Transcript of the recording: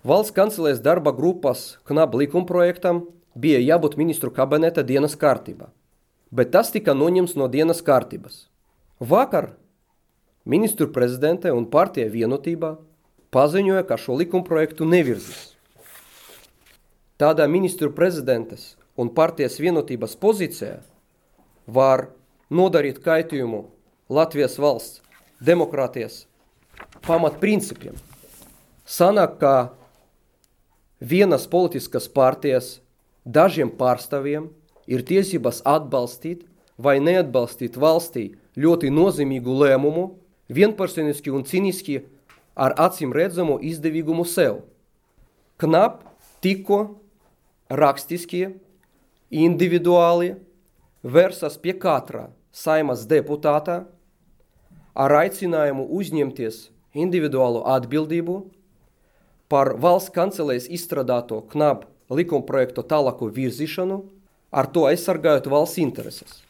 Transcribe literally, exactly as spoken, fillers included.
Valsts kancelēs darba grupas knab likumprojektam bija jābūt ministru kabineta dienas kārtībā, bet tas tika noņemts no dienas kārtības. Vakar ministru prezidente un partija Vienotībā paziņoja, ka šo likumprojektu nevirzīs. Tādā ministru prezidentes un partijas Vienotības pozīcijā var nodarīt kaitījumu Latvijas valsts demokrātijas pamatprincipiem. Sanāk, ka vienas politiskas partijas dažiem pārstāvjiem ir tiesības atbalstīt vai neatbalstīt valstī ļoti nozīmīgu lēmumu, vienpersoniski un cīniski ar acīm redzamu izdevīgumu sev. Knap tikko rakstiskie, individuāli versas pie katra Saimas deputātā ar aicinājumu uzņemties individuālu atbildību par valsts kancelēs izstrādāto knap likumprojektu tālāku virzīšanu, ar to aizsargājot valsts intereses.